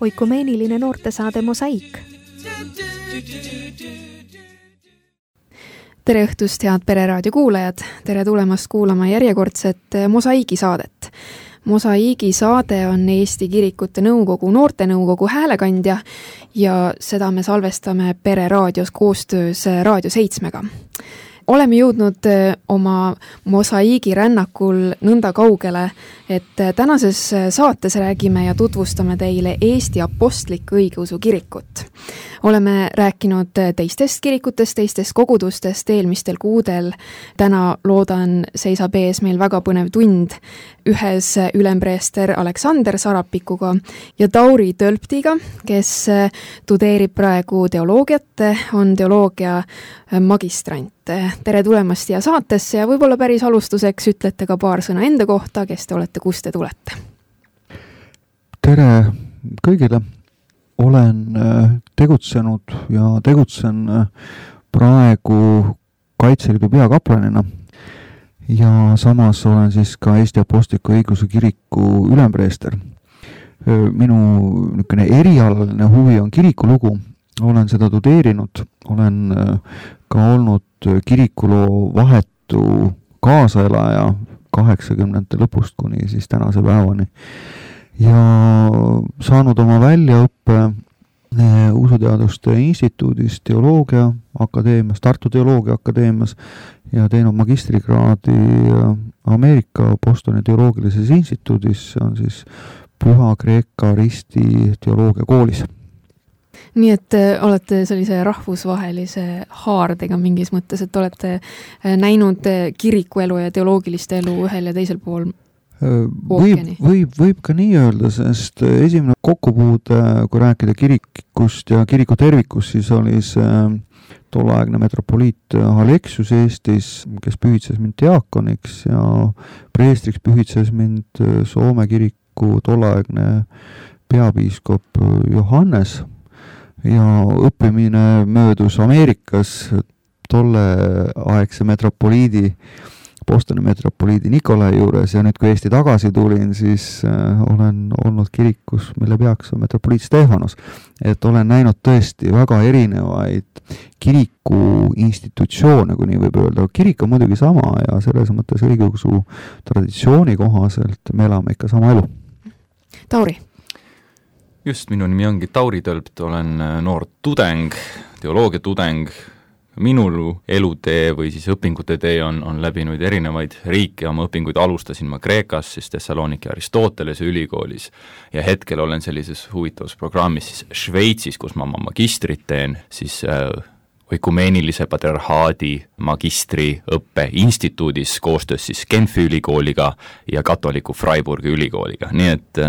Oikumeeniline noortesaade Mosaik. Tere õhtust, head Pereraadio kuulajad! Tere tulemast kuulama järjekordset Mosaigi saadet. Mosaigi saade on Eesti Kirikute Nõukogu noortenõukogu häälekandja ja seda me salvestame Pereraadios koostöös Raadio 7-ga. Oleme jõudnud oma Mosaigi rännakul nõnda kaugele, et tänases saates räägime ja tutvustame teile Eesti Apostlik-Õigeusu Kirikut. Oleme rääkinud teistest kirikutest, teistest kogudustest eelmistel kuudel. Täna loodan seisab ees meil väga põnev tund ühes ülempreester Aleksander Sarapikuga ja Tauri Tölptiga, kes tudeerib praegu teoloogiat, on teoloogia magistrant. Tere tulemast siia saatesse ja võib-olla päris alustuseks ütlete ka paar sõna enda kohta, kes te olete, kust te tulete. Tere kõigile! Olen tegutsenud ja tegutsen praegu Kaitseliidu peakaplanina ja samas olen siis ka Eesti Apostlik-Õigeusu Kiriku ülempreester. Minu erialaline huvi on kirikulugu, olen seda tudeerinud, olen ka olnud kirikuloo vahetu kaasaelaja 80. lõpust kuni siis tänase päevani. Ja saanud oma väljaõppe Usuteaduste instituudis, teoloogia akadeemias, Tartu teoloogia akadeemias ja teinud magistrikraadi Ameerika Bostoni teoloogilises instituudis, see on siis Püha Kreeka Risti teoloogia koolis. Nii et olete sellise rahvusvahelise haardega mingis mõttes, et olete näinud kirikuelu ja teoloogilist elu ühel ja teisel pool Võib ka nii öelda, sest esimene kokkupuude, kui rääkida kirikust ja kiriku tervikust, siis oli see tolleaegne metropoliit Aleksius Eestis, kes pühitses mind diakoniks ja preestriks pühitses mind Soome kiriku tolleaegne peapiiskop Johannes ja õppimine möödus Ameerikas tolleaegse metropoliidi Bostoni metropoliidi Nikolai juures ja nüüd, kui Eesti tagasi tulin, siis olen olnud kirikus, mille peaks on metropoliit Stefanos. Et olen näinud tõesti väga erinevaid kiriku institutsioone, kui nii võib öelda. Kirik on muidugi sama ja selles mõttes õigeusu traditsiooni kohaselt me elame ikka sama elu. Tauri. Just, minu nimi ongi Tauri Tölpt, olen noor tudeng, teoloogia tudeng. Minul elutee või siis õpingute tee on läbinud erinevaid riike, oma õpinguid alustasin ma Kreekas, siis Thessaloniki Aristotelese ülikoolis ja hetkel olen sellises huvitavas programmis siis Šveitsis, kus ma oma magistrit teen, siis oikumeenilise patriarhaadi magistriõppe instituudis koostöös siis Genfi ülikooliga ja katoliku Freiburgi ülikooliga, nii et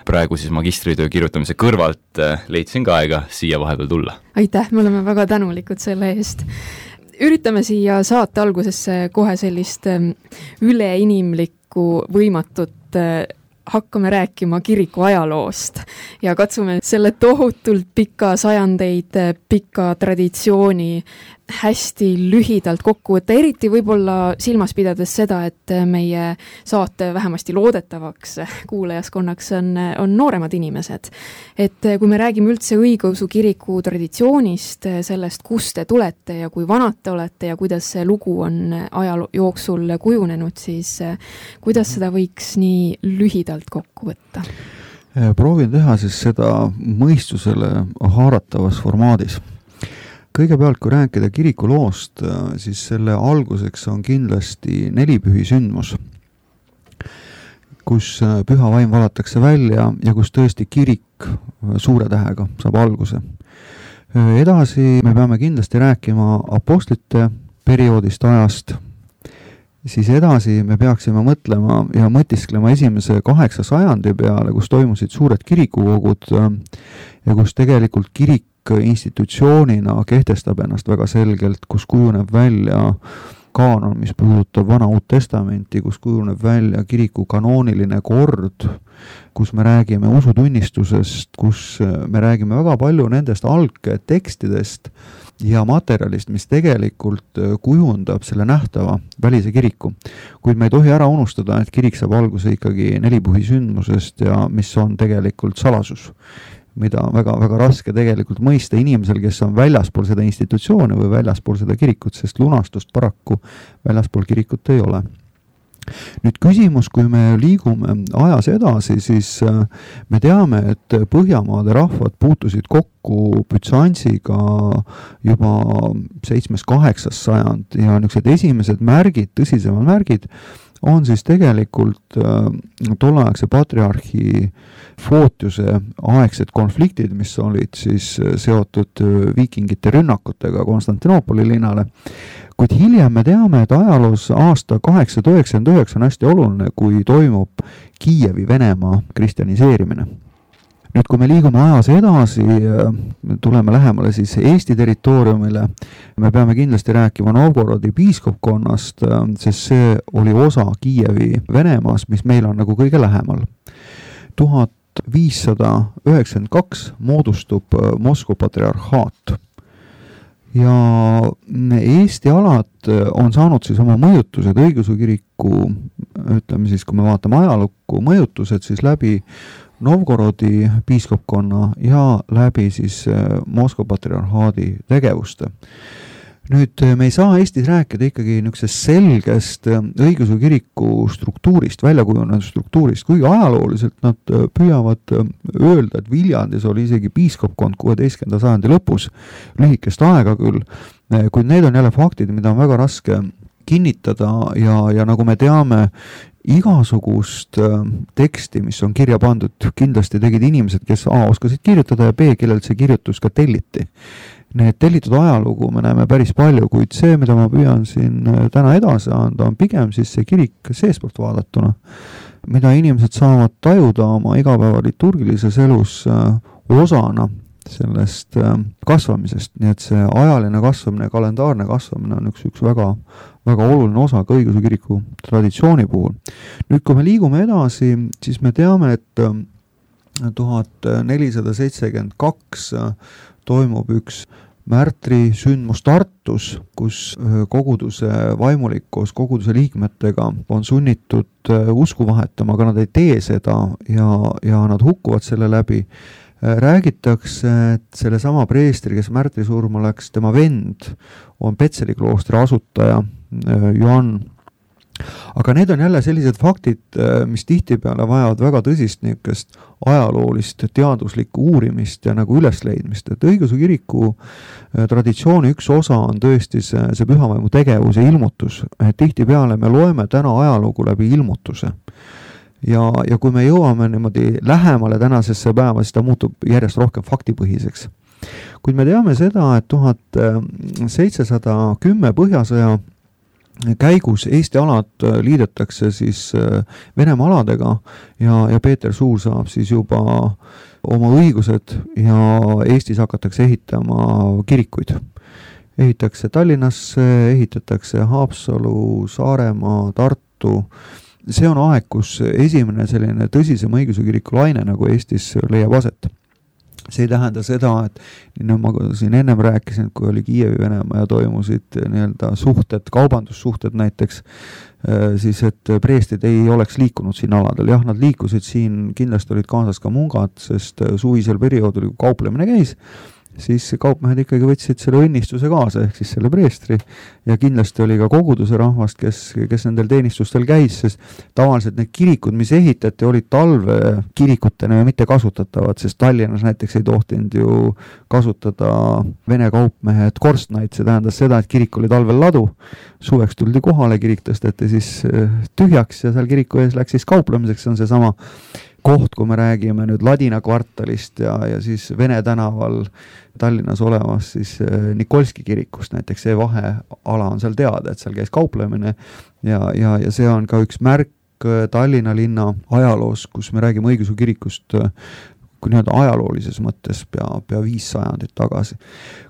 praegu siis magistritöö kirjutamise kõrvalt leidsin ka aega siia vahepeal tulla. Aitäh, me oleme väga tänulikud selle eest. Üritame siia saate algusesse kohe sellist üleinimlikku võimatut hakkame rääkima kiriku ajaloost ja katsume selle tohutult pika sajandeid, pika traditsiooni hästi lühidalt kokku võtta, eriti võib-olla silmas pidades seda, et meie saate vähemasti loodetavaks kuulajaskonnaks on nooremad inimesed. Et kui me räägime üldse õigeusu kiriku traditsioonist, sellest, kust te tulete ja kui vanad te olete ja kuidas see lugu on ajaloo jooksul kujunenud, siis kuidas seda võiks nii lühidalt kokku võtta? Proovin teha siis seda mõistusele haaratavas formaadis. Kõigepealt, kui rääkida kirikuloost, siis selle alguseks on kindlasti nelipühi sündmus, kus püha vaim valatakse välja ja kus tõesti kirik suure tähega saab alguse. Edasi me peame kindlasti rääkima apostlite perioodist ajast, siis edasi me peaksime mõtlema ja mõtisklema esimese 8 sajandi peale, kus toimusid suured kirikukogud ja kus tegelikult kirik institutsioonina kehtestab ennast väga selgelt, kus kujuneb välja kaanon, mis puudutab Vana-Uut Testamenti, kus kujuneb välja kiriku kanooniline kord, kus me räägime usutunnistusest, kus me räägime väga palju nendest algtekstidest ja materjalist, mis tegelikult kujundab selle nähtava välise kiriku. Kuid me ei tohi ära unustada, et kirik saab alguse ikkagi nelipühisündmusest ja mis on tegelikult salasus, mida on väga raske tegelikult mõista inimesel, kes on väljaspool seda institutsiooni või väljaspool seda kirikut, sest lunastust paraku väljaspool kirikut ei ole. Nüüd küsimus, kui me liigume ajas edasi, siis me teame, et Põhjamaade rahvad puutusid kokku Bütsantsiga juba 7.–8. sajand ja niisugused esimesed märgid, tõsisemad märgid on siis tegelikult tolleaegse patriarhi Footiuse aegsed konfliktid, mis olid siis seotud viikingite rünnakutega Konstantinoopoli linnale. Kuid hiljem me teame, et ajaloos aasta 899 on hästi oluline, kui toimub Kiievi Venemaa kristjaniseerimine. Nüüd, kui me liigume ajas edasi, tuleme lähemale siis Eesti territooriumile, me peame kindlasti rääkima Novgorodi piiskopkonnast, sest see oli osa Kiievi Venemaas, mis meil on nagu kõige lähemal. 1592 moodustub Moskva patriarhaat. Ja Eesti alad on saanud siis oma mõjutused õigeusu kiriku, ütleme siis, kui me vaatame ajalukku, mõjutused siis läbi Novgorodi piiskopkonna ja läbi siis Moskva patriarhaadi tegevuste. Nüüd me ei saa Eestis rääkida ikkagi niisugusest selgest õigeusu kiriku struktuurist, väljakujunenud struktuurist, kuigi ajalooliselt nad püüavad öelda, et Viljandis oli isegi piiskopkond 16. sajandi lõpus, lühikest aega küll, kuid need on jälle faktid, mida on väga raske kinnitada ja nagu me teame, igasugust teksti, mis on kirja pandud, kindlasti tegid inimesed, kes A oskasid kirjutada ja B, kellelt see kirjutus ka telliti. Need tellitud ajalugu me näeme päris palju, kuid see, mida ma püüan siin täna edasi anda, on pigem siis see kirik seespoolt vaadatuna, mida inimesed saavad tajuda oma igapäeva liturgilises elus osana sellest kasvamisest, nii et see ajaline kasvamine, kalendaarne kasvamine on üks väga oluline osa ka õigeusu kiriku traditsiooni puhul. Nüüd, kui me liigume edasi, siis me teame, et 1472 toimub üks märtri sündmus Tartus, kus koguduse vaimulik koos koguduse liikmetega on sunnitud usku vahetama, aga nad ei tee seda ja nad hukkuvad selle läbi. Räägitakse, et selle sama preestri, kes märtri surma läks, tema vend on Petseri kloostri asutaja Johann. Aga need on jälle sellised faktid, mis tihtipeale vajavad väga tõsist niisugust ajaloolist teaduslikku uurimist ja nagu ülesleidmist, et õigeusu kiriku traditsiooni üks osa on tõesti see pühavaimu tegevus ja ilmutus. Tihtipeale me loeme täna ajalugu läbi ilmutuse. Ja kui me jõuame niimoodi lähemale tänasesse päeva, siis ta muutub järjest rohkem faktipõhiseks. Kuid me teame seda, et 1710 Põhjasõja käigus Eesti alad liidetakse siis Venemaa aladega ja Peeter Suur saab siis juba oma õigused ja Eestis hakatakse ehitama kirikuid. Ehitakse Tallinnasse, ehitatakse Haapsalu, Saaremaa, Tartu. See on aeg, kus esimene selline tõsisem õigeusu kiriku laine nagu Eestis leiab aset. See ei tähenda seda, et nii ma siin ennem rääkisin, kui oli Kiievi Venemaa ja toimusid nii-öelda suhted, kaubandussuhted näiteks, siis et preestid ei oleks liikunud siin aladel. Jah, nad liikusid siin, kindlasti olid kaasas ka mungad, sest suvisel perioodil, kui kauplemine käis, siis kaupmehed ikkagi võtsid selle õnnistuse kaasa, ehk siis selle preestri, ja kindlasti oli ka koguduse rahvast, kes nendel teenistustel käis, sest tavaliselt need kirikud, mis ehitati, olid talve kirikutena ja mitte kasutatavad, sest Tallinnas näiteks ei tohtinud ju kasutada vene kaupmehed korstnaid, see tähendas seda, et kirik oli talvel ladu, suveks tuldi kohale, kirik tõsteti siis tühjaks ja seal kiriku ees läks siis kauplemiseks, see on see sama koht, kui me räägime nüüd Ladina kvartalist ja siis Vene tänaval Tallinnas olevas siis Nikolski kirikust, näiteks see vaheala on seal teada, et seal käis kauplemine ja see on ka üks märk Tallinna linna ajaloos, kus me räägime õigeusu kirikust kui nii-öelda ajaloolises mõttes pea 5 sajandit tagasi.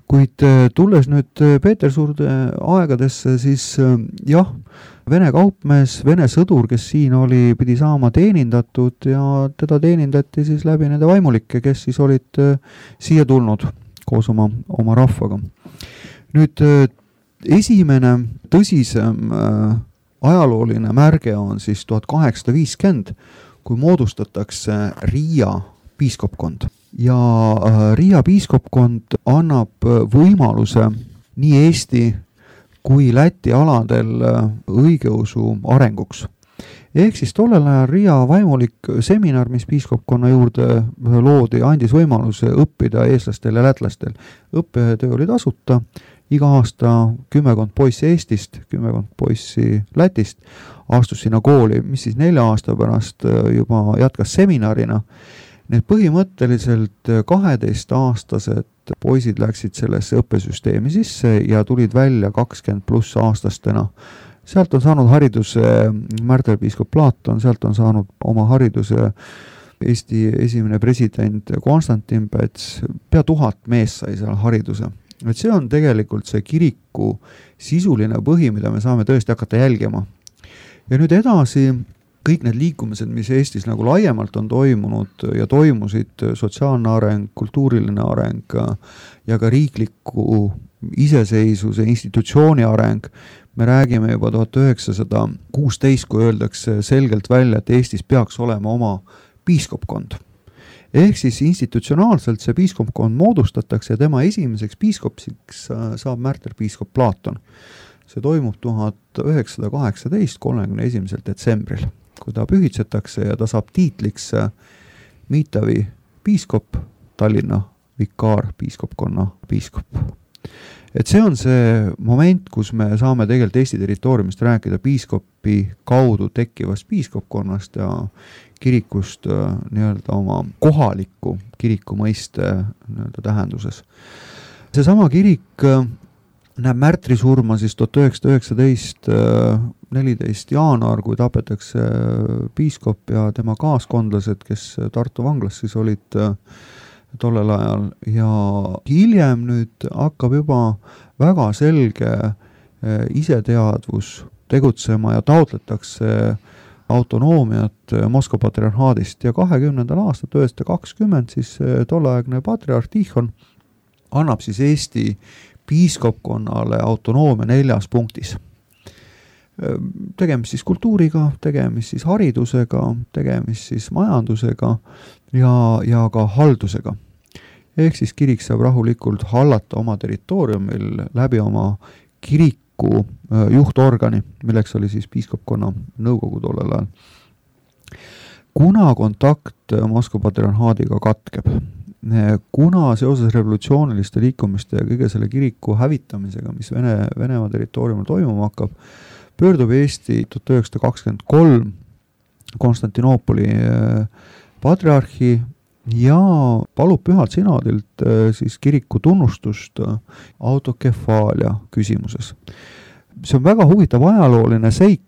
Kuid tulles nüüd Petersurde aegadesse, siis jah, Vene kaupmees, Vene sõdur, kes siin oli, pidi saama teenindatud ja teda teenindati siis läbi nende vaimulikke, kes siis olid siia tulnud koos oma rahvaga. Nüüd esimene tõsisem ajalooline märge on siis 1850, kui moodustatakse Riia piiskopkond. Ja Riia piiskopkond annab võimaluse nii Eesti kui Läti aladel õigeusu arenguks. Ehk siis tollel ajal Riia vaimulik seminar, mis piiskopkonna juurde loodi, andis võimaluse õppida eestlastel ja lätlastel. Õppetöö oli tasuta, iga aasta 10 poissi Eestist, 10 poissi Lätist astus sinna kooli, mis siis 4 aasta pärast juba jätkas seminarina. Need põhimõtteliselt 12-aastased poisid läksid sellesse õppesüsteemi sisse ja tulid välja 20+ aastastena. Sealt on saanud hariduse märterpiiskop Platon, sealt on saanud oma hariduse Eesti esimene president Konstantin Päts, pea 1000 mees sai seal hariduse. Et see on tegelikult see kiriku sisuline põhi, mida me saame tõesti hakata jälgima. Ja nüüd edasi kõik need liikumised, mis Eestis nagu laiemalt on toimunud ja toimusid, sotsiaalne areng, kultuuriline areng ja ka riikliku iseseisvuse institutsiooni areng, me räägime juba 1916, kui öeldakse selgelt välja, et Eestis peaks olema oma piiskopkond. Ehk siis institutsionaalselt see piiskopkond moodustatakse ja tema esimeseks piiskopsiks saab märterpiiskop Platon. See toimub 1918, 31. detsembril, kui ta pühitsetakse ja ta saab tiitliks Miitavi piiskop, Tallinna vikaar piiskopkonna piiskop. Et see on see moment, kus me saame tegelikult Eesti territooriumist rääkida piiskopi kaudu tekkivast piiskopkonnast ja kirikust nii-öelda oma kohaliku kiriku mõiste nii-öelda tähenduses. Seesama kirik näeb märtrisurma siis 1919 14. jaanuar, kui tapetakse piiskop ja tema kaaskondlased, kes Tartu vanglas siis olid tollel ajal ja hiljem nüüd hakkab juba väga selge iseteadvus tegutsema ja taotletakse autonoomiat Moskva patriarhaadist ja 20. aastat 1920 siis tolleaegne patriarh Tihon annab siis Eesti piiskopkonnale autonoomia 4 punktis. Tegemist siis kultuuriga, tegemist siis haridusega, tegemist siis majandusega ja ka haldusega. Ehk siis kirik saab rahulikult hallata oma territooriumil läbi oma kiriku juhtorgani, milleks oli siis piiskopkonna nõukogu tollel ajal. Kuna kontakt Moskva patriarhaadiga katkeb, kuna seoses revolutsiooniliste liikumiste ja kõige selle kiriku hävitamisega, mis Venemaa territooriumil toimuma hakkab, pöördub Eesti 1923 Konstantinoopoli patriarhi ja palub pühalt sinodilt siis kiriku tunnustust autokefaalia küsimuses. See on väga huvitav ajalooline seik,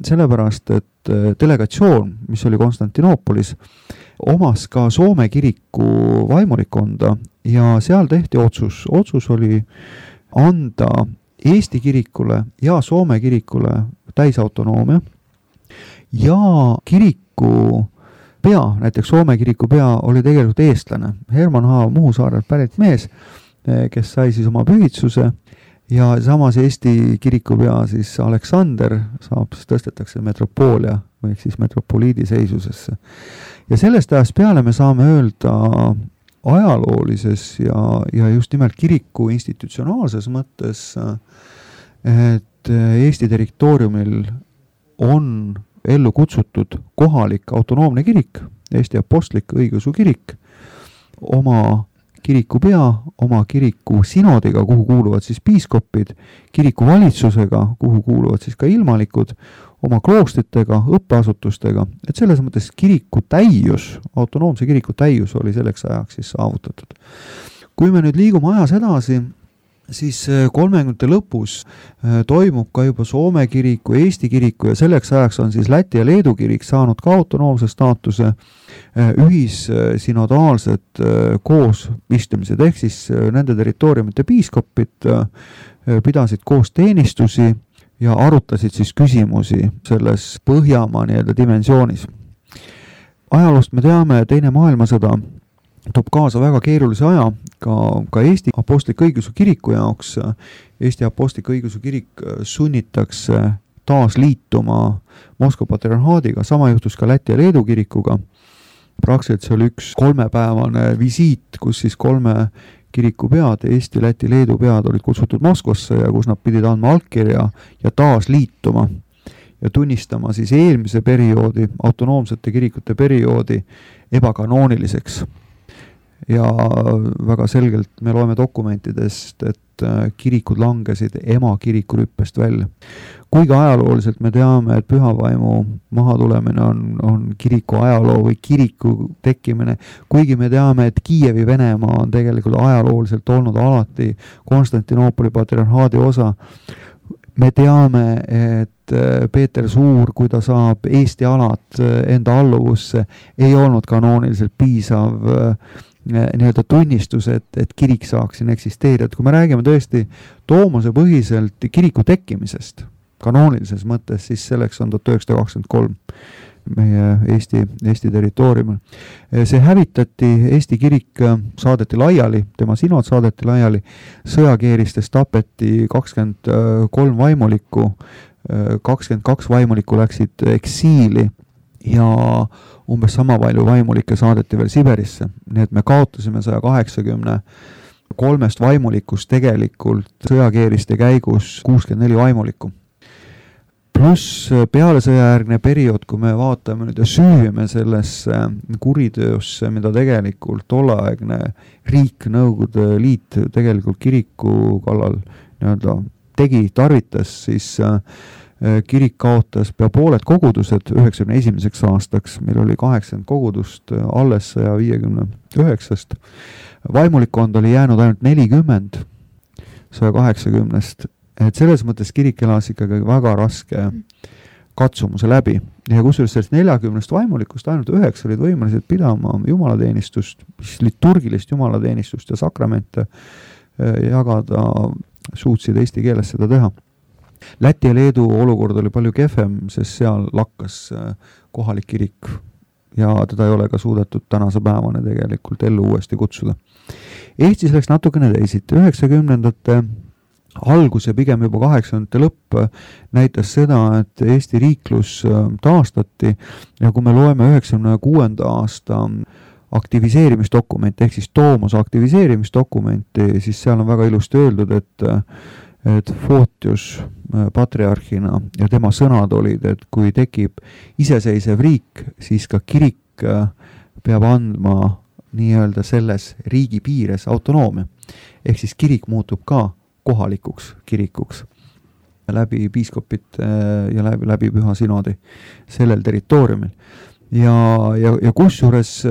sellepärast et delegatsioon, mis oli Konstantinoopolis, omas ka Soome kiriku vaimulikonda ja seal tehti otsus. Otsus oli anda Eesti kirikule ja Soome kirikule täisautonoomia ja kiriku pea, näiteks Soome kiriku pea oli tegelikult eestlane. Herman H. Muhusaarelt pärit mees, kes sai siis oma pühitsuse ja samas Eesti kiriku pea siis Aleksander saab, siis tõstetakse metropoolia või siis metropoliidi seisusesse. Ja sellest ajast peale me saame öelda ajaloolises ja just nimelt kiriku institutsionaalses mõttes, et Eesti territooriumil on ellu kutsutud kohalik autonoomne kirik, Eesti apostlik õigeusu kirik, oma kiriku pea, oma kiriku sinodiga, kuhu kuuluvad siis piiskopid, kiriku valitsusega, kuhu kuuluvad siis ka ilmalikud, oma kloostritega, õppeasutustega, et selles mõttes kiriku täius, autonoomse kiriku täius oli selleks ajaks siis saavutatud. Kui me nüüd liigume ajas edasi, siis 30. lõpus toimub ka juba Soome kiriku, Eesti kiriku ja selleks ajaks on siis Läti ja Leedu kirik saanud ka autonoomse staatuse, ühissinodaalsed koosistumised, ehk siis nende territooriumite piiskopid pidasid koos teenistusi ja arutasid siis küsimusi selles Põhjamaa nii-öelda dimensioonis. Ajaloost me teame, Teine maailmasõda toob kaasa väga keerulise aja ka Eesti Apostliku Õigeusu Kiriku jaoks. Eesti Apostliku Õigeusu Kirik sunnitakse taas liituma Moskva patriarhaadiga, sama juhtus ka Läti ja Leedu kirikuga. Praktiliselt see oli üks 3-päevane visiit, kus siis 3 kiriku pead, Eesti, Läti, Leedu pead olid kutsutud Moskvasse ja kus nad pidid andma allkirja ja taas liituma ja tunnistama siis eelmise perioodi, autonoomsete kirikute perioodi ebakanooniliseks. Ja väga selgelt me loeme dokumentidest, et kirikud langesid ema kirikurüppest välja. Kuigi ajalooliselt me teame, et pühavaimu mahatulemine on kiriku ajaloo või kiriku tekkimine, kuigi me teame, et Kiievi Venemaa on tegelikult ajalooliselt olnud alati Konstantinoopoli patriarhaadi osa. Me teame, et Peeter Suur, kui ta saab Eesti alad enda alluvusse, ei olnud kanooniliselt piisav nii-öelda tunnistus, et kirik saaks siin eksisteerida. Kui me räägime tõesti Toomase põhiselt kiriku tekkimisest kanoonilises mõttes, siis selleks on 1923 meie Eesti territooriumil. See hävitati, Eesti kirik saadeti laiali, tema sinod saadeti laiali, sõjakeeristes tapeti 23 vaimulikku, 22 vaimulikku läksid eksiili ja umbes sama palju vaimulikke saadeti veel Siberisse. Nii et me kaotasime 183 vaimulikust tegelikult sõjakeeriste käigus 64 vaimulikku. Pluss peale sõjajärgne periood, kui me vaatame nüüd ja süüvime sellesse kuritöösse, mida tegelikult tolleaegne riik, Nõukogude Liit tegelikult kiriku kallal nii-öelda tegi, tarvitas, siis kirik kaotas pea pooled kogudused 91. aastaks, meil oli 80 kogudust alles 159. Vaimulikkond oli jäänud ainult 40 180-st, et selles mõttes kirik elas ikkagi väga raske katsumuse läbi. Ja kusjuures sellest 40 vaimulikust ainult 9 olid võimelised pidama jumalateenistust, liturgilist jumalateenistust ja sakramente jagada, suutsid eesti keeles seda teha. Läti ja Leedu olukord oli palju kehvem, sest seal lakkas kohalik kirik ja teda ei ole ka suudetud tänase päevane tegelikult ellu uuesti kutsuda. Eestis läks natukene teisiti. 90-ndate algus ja pigem juba 80-ndate lõpp näitas seda, et Eesti riiklus taastati ja kui me loeme 96. aasta aktiviseerimisdokumenti ehk siis Toomase aktiviseerimisdokumenti, siis seal on väga ilusti öeldud, et Fotius patriarhina ja tema sõnad olid, et kui tekib iseseisev riik, siis ka kirik peab andma nii-öelda selles riigi piires autonoomia. Ehk siis kirik muutub ka kohalikuks kirikuks läbi piiskopite ja läbi püha sinodi sellel territooriumil. Ja kusjuures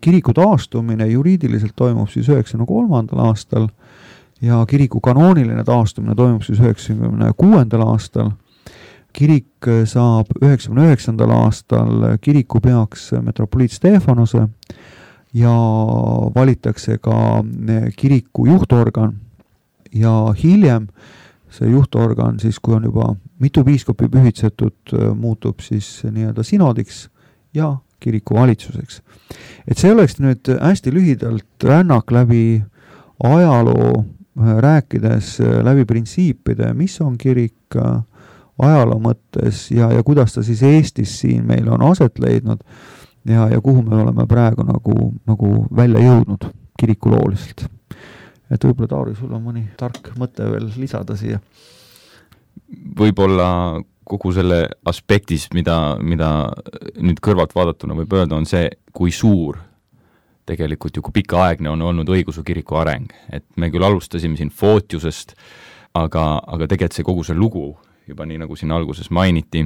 kiriku taastumine juriidiliselt toimub siis 93. aastal ja kiriku kanooniline taastumine toimub siis 96. aastal. Kirik saab 99. aastal kirikupeaks metropoliit Stefanose ja valitakse ka kiriku juhtorgan ja hiljem see juhtorgan siis, kui on juba mitu piiskopi pühitsetud, muutub siis nii-öelda sinodiks ja kiriku valitsuseks. Et see oleks nüüd hästi lühidalt rännak läbi ajaloo, rääkides läbi printsiipide, mis on kirik ajaloo mõttes ja kuidas ta siis Eestis siin meil on aset leidnud ja kuhu me oleme praegu nagu välja jõudnud kirikulooliselt. Et võib-olla Tauri, sul on mõni tark mõte veel lisada siia? Võib-olla kogu selle aspektis, mida nüüd kõrvalt vaadatuna võib öelda, on see, kui suur tegelikult ju kui pikaaegne on olnud õigeusu kiriku areng. Et me küll alustasime siin Fotiusest, aga tegelikult see kogu see lugu, juba nii nagu siin alguses mainiti,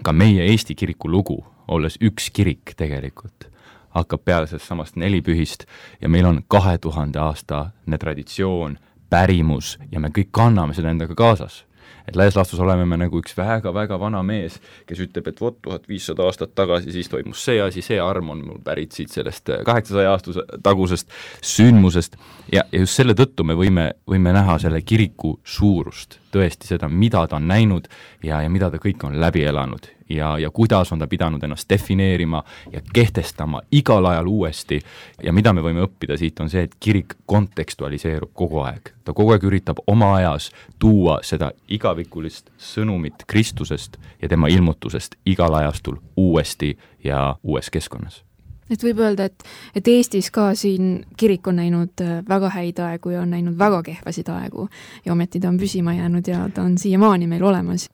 ka meie Eesti kiriku lugu, olles üks kirik tegelikult, hakkab peale sellest samast nelipühist ja meil on 2000 aastane traditsioon pärimus ja me kõik kanname seda endaga kaasas. Et laias laastus oleme me nagu üks väga-väga vana mees, kes ütleb, et 1500 aastat tagasi siis toimus see asi, see arm on mul pärit siit sellest 800 aastuse tagusest sündmusest ja just selle tõttu me võime näha selle kiriku suurust, tõesti seda, mida ta on näinud ja mida ta kõik on läbi elanud ja kuidas on ta pidanud ennast defineerima ja kehtestama igal ajal uuesti ja mida me võime õppida siit on see, et kirik kontekstualiseerub kogu aeg. Ta kogu aeg üritab oma ajas tuua seda igavikulist sõnumit Kristusest ja tema ilmutusest igal ajastul uuesti ja uues keskkonnas. Et võib öelda, et Eestis ka siin kirik on näinud väga häid aegu ja on näinud väga kehvasid aegu ja ometi ta on püsima jäänud ja ta on siiamaani meil olemas.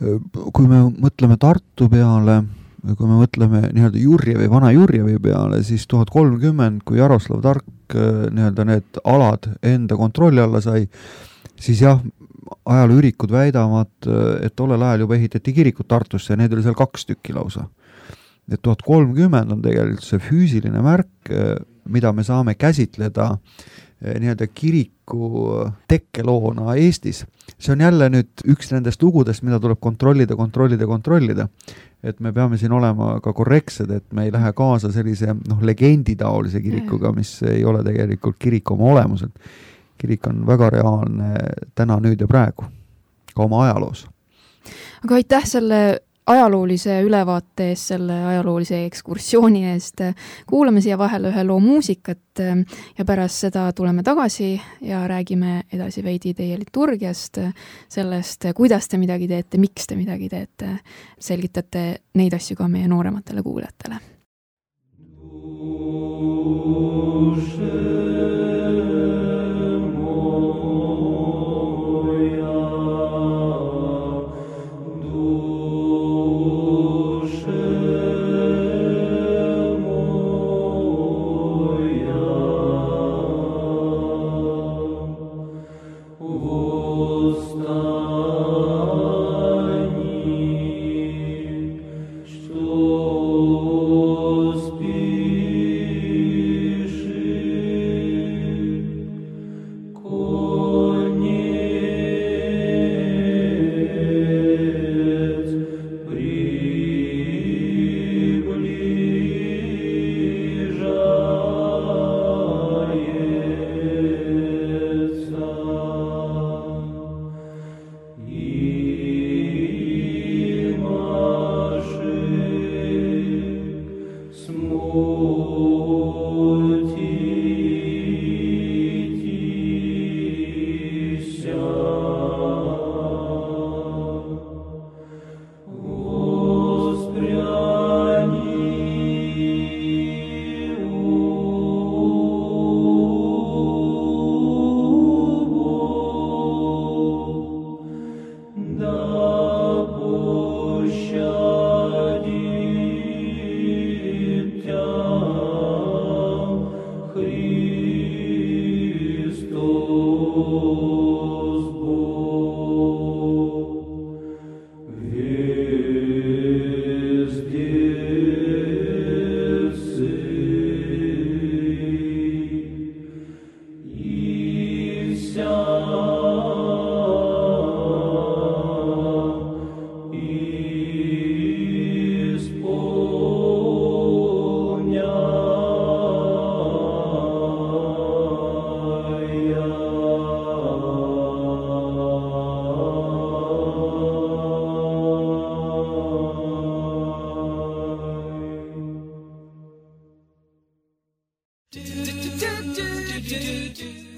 Kui me mõtleme Tartu peale, kui me mõtleme nii-öelda Jurjevi, vana Jurjevi peale, siis 1030, kui Jaroslav Tark nii-öelda need alad enda kontrolli alla sai, siis jah, ajalooürikud väidavad, et tollel ajal juba ehitati kirikud Tartusse ja need oli seal 2 tükki lausa. Et 1030 on tegelikult see füüsiline märk, mida me saame käsitleda nii-öelda kiriku tekkeloona Eestis. See on jälle nüüd üks nendest lugudest, mida tuleb kontrollida. Et me peame siin olema ka korrektsed, et me ei lähe kaasa sellise legenditaolise kirikuga, mis ei ole tegelikult kirik oma olemuselt. Kirik on väga reaalne täna, nüüd ja praegu, ka oma ajaloos. Aga aitäh selle ajaloolise ülevaate eest, selle ajaloolise ekskursiooni eest. Kuulame siia vahele ühe loo muusikat ja pärast seda tuleme tagasi ja räägime edasi veidi teie liturgiast, sellest, kuidas te midagi teete, miks te midagi teete. Selgitate neid asju ka meie noorematele kuulajatele.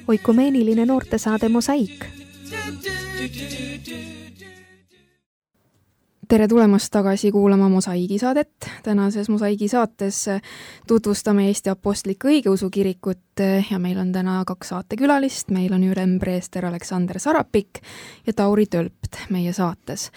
Oikumeeniline noortesaade Mosaik. Tere tulemast tagasi kuulama Mosaigi saadet. Tänases Mosaigi saates tutvustame Eesti Apostlikku Õigeusu Kirikut ja meil on täna 2 saatekülalist. Meil on ülempreester Aleksander Sarapik ja Tauri Tölpt meie saates.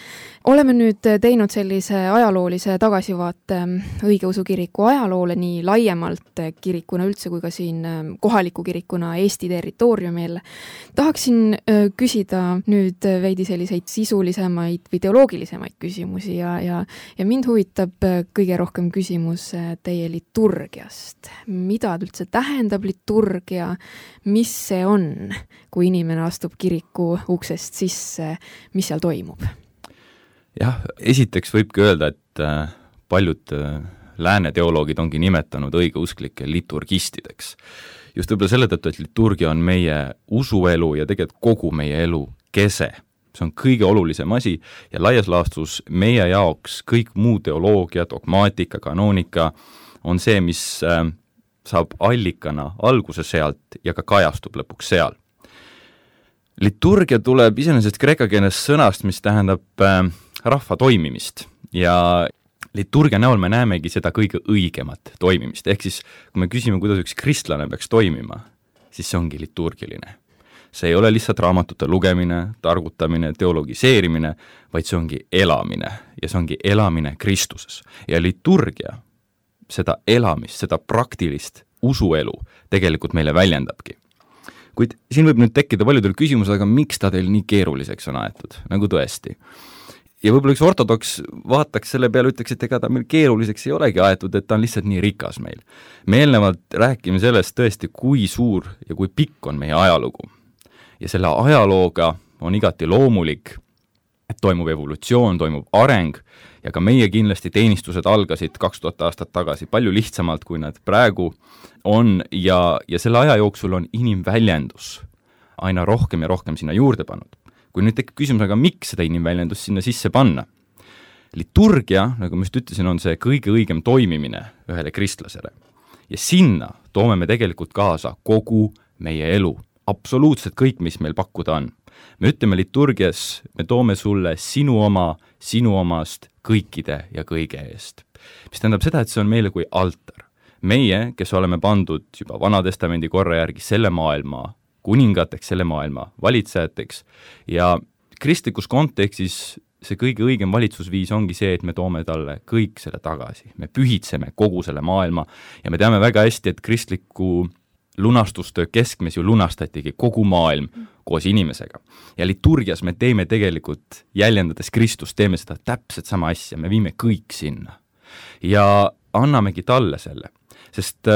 Oleme nüüd teinud sellise ajaloolise tagasivaate Õigeusu Kiriku ajaloole nii laiemalt kirikuna üldse kui ka siin kohaliku kirikuna Eesti territooriumil. Tahaksin küsida nüüd veidi selliseid sisulisemaid või teoloogilisemaid küsimusi ja mind huvitab kõige rohkem küsimus teie liturgiast. Mida üldse tähendab liturgia? liturgia, mis see on, kui inimene astub kiriku uksest sisse, mis seal toimub? Jah, esiteks võibki öelda, et paljud lääne teoloogid ongi nimetanud õigeusklikke liturgistideks. Just võib-olla selle tõttu, et liturgia on meie usuelu ja tegelikult kogu meie elu kese. See on kõige olulisem asi ja laias laastus meie jaoks kõik muu teoloogia, dogmaatika, kanoonika on see, mis saab allikana alguse sealt ja ka kajastub lõpuks seal. Liturgia tuleb iseenesest kreeka keeles sõnast, mis tähendab rahva toimimist ja liturgia näol me näemegi seda kõige õigemat toimimist, ehk siis kui me küsime, kuidas üks kristlane peaks toimima, siis see ongi liturgiline. See ei ole lihtsalt raamatute lugemine, targutamine, teologiseerimine, vaid see ongi elamine ja see ongi elamine Kristuses. Ja liturgia seda elamist, seda praktilist usuelu tegelikult meile väljendabki. Kuid siin võib nüüd tekkida paljudel küsimus, aga miks ta teil nii keeruliseks on aetud, nagu tõesti? Ja võib-olla üks ortodoks vaataks selle peale, ütleks, et ega ta meil keeruliseks ei olegi aetud, et ta on lihtsalt nii rikas meil. Me eelnevalt räägime sellest tõesti, kui suur ja kui pikk on meie ajalugu. Ja selle ajalooga on igati loomulik, et toimub evolutsioon, toimub areng ja ka meie kindlasti teenistused algasid 2000 aastat tagasi palju lihtsamalt, kui nad praegu on ja selle aja jooksul on inimväljendus aina rohkem ja rohkem sinna juurde pannud. Kui nüüd tekib küsimus, aga miks seda inimväljendust sinna sisse panna? Liturgia, nagu ma just ütlesin, on see kõige õigem toimimine ühele kristlasele. Ja sinna toome me tegelikult kaasa kogu meie elu. Absoluutselt kõik, mis meil pakkuda on. Me ütleme liturgias, me toome sulle sinu omast kõikide ja kõige eest. Mis tähendab seda, et see on meile kui altar. Meie, kes oleme pandud juba Vanatestamendi korra järgi selle maailma kuningateks, selle maailma valitsejateks ja kristlikus kontekstis see kõige õigem valitsusviis ongi see, et me toome talle kõik selle tagasi. Me pühitseme kogu selle maailma ja me teame väga hästi, et kristliku lunastustöö keskmes ju lunastatigi kogu maailm koos inimesega. Ja liturgias me teeme tegelikult, jäljendades Kristust, teeme seda täpselt sama asja, me viime kõik sinna. Ja annamegi talle selle. Sest